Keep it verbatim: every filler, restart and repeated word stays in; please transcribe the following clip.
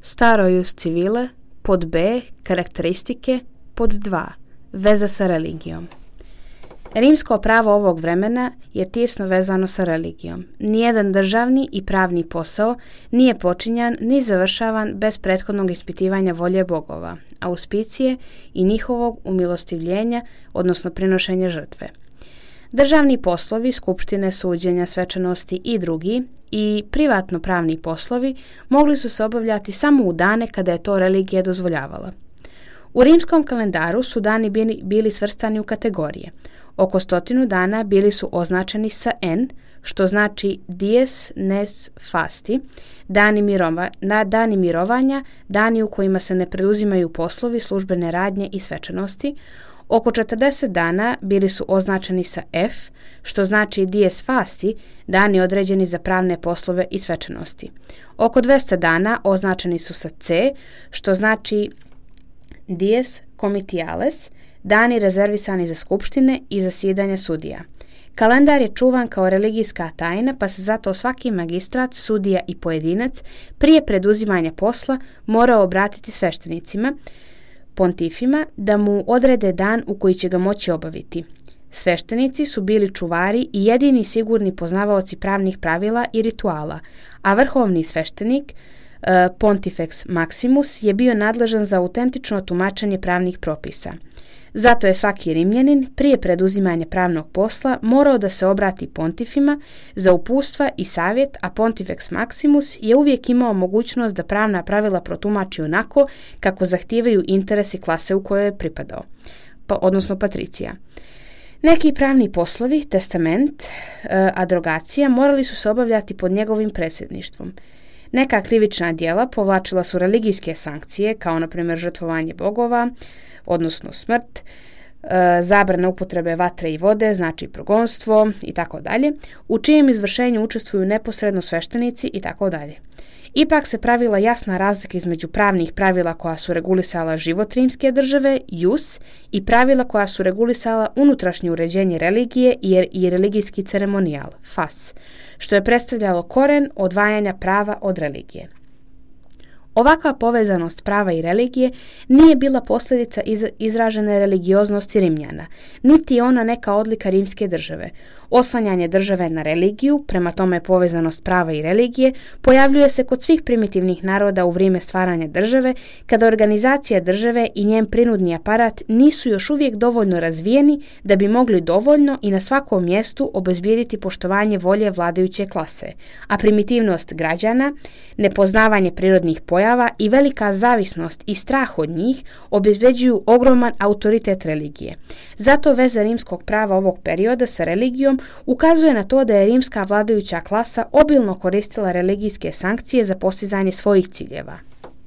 Staro jus civile, pod B, karakteristike, pod dva, veza sa religijom. Rimsko pravo ovog vremena je tijesno vezano sa religijom. Nijedan državni i pravni posao nije počinjan ni završavan bez prethodnog ispitivanja volje bogova, auspicije i njihovog umilostivljenja, odnosno prinošenja žrtve. Državni poslovi, skupštine, suđenja, svečanosti i drugi i privatno pravni poslovi mogli su se obavljati samo u dane kada je to religija dozvoljavala. U rimskom kalendaru su dani bili, bili svrstani u kategorije. Oko stotinu dana bili su označeni sa N, što znači dies nes fasti, dani, mirova, na dani mirovanja, dani u kojima se ne preduzimaju poslovi, službene radnje i svečanosti. Oko četrdeset dana bili su označeni sa F, što znači dies fasti, dani određeni za pravne poslove i svečanosti. Oko dvesta dana označeni su sa C, što znači dies comitiales, dani rezervisani za skupštine i zasjedanje sudija. Kalendar je čuvan kao religijska tajna, pa se zato svaki magistrat, sudija i pojedinac prije preduzimanja posla morao obratiti sveštenicima, pontifima, da mu odrede dan u koji će ga moći obaviti. Sveštenici su bili čuvari i jedini sigurni poznavaoci pravnih pravila i rituala, a vrhovni sveštenik, Pontifex Maximus, je bio nadležan za autentično tumačenje pravnih propisa. Zato je svaki Rimljanin prije preduzimanja pravnog posla morao da se obrati pontifima za uputstva i savjet, a Pontifex Maximus je uvijek imao mogućnost da pravna pravila protumači onako kako zahtijevaju interesi klase u kojoj je pripadao, pa, odnosno patricija. Neki pravni poslovi, testament, adrogacija, morali su se obavljati pod njegovim predsjedništvom. Neka krivična djela povlačila su religijske sankcije, kao na primjer žrtvovanje bogova, odnosno smrt, e, zabrana upotrebe vatre i vode, znači progonstvo i tako dalje, u čijem izvršenju učestvuju neposredno sveštenici i tako dalje. Ipak se pravila jasna razlika između pravnih pravila koja su regulisala život rimske države, jus, i pravila koja su regulisala unutrašnje uređenje religije i, i religijski ceremonijal, fas, što je predstavljalo koren odvajanja prava od religije. Ovakva povezanost prava i religije nije bila posljedica iz, izražene religioznosti Rimljana, niti je ona neka odlika rimske države. Oslanjanje države na religiju, prema tome povezanost prava i religije, pojavljuje se kod svih primitivnih naroda u vrijeme stvaranja države, kada organizacija države i njen prinudni aparat nisu još uvijek dovoljno razvijeni da bi mogli dovoljno i na svakom mjestu obezbijediti poštovanje volje vladajuće klase, a primitivnost građana, nepoznavanje prirodnih pojava i velika zavisnost i strah od njih obezbeđuju ogroman autoritet religije. Zato veza rimskog prava ovog perioda sa religijom ukazuje na to da je rimska vladajuća klasa obilno koristila religijske sankcije za postizanje svojih ciljeva.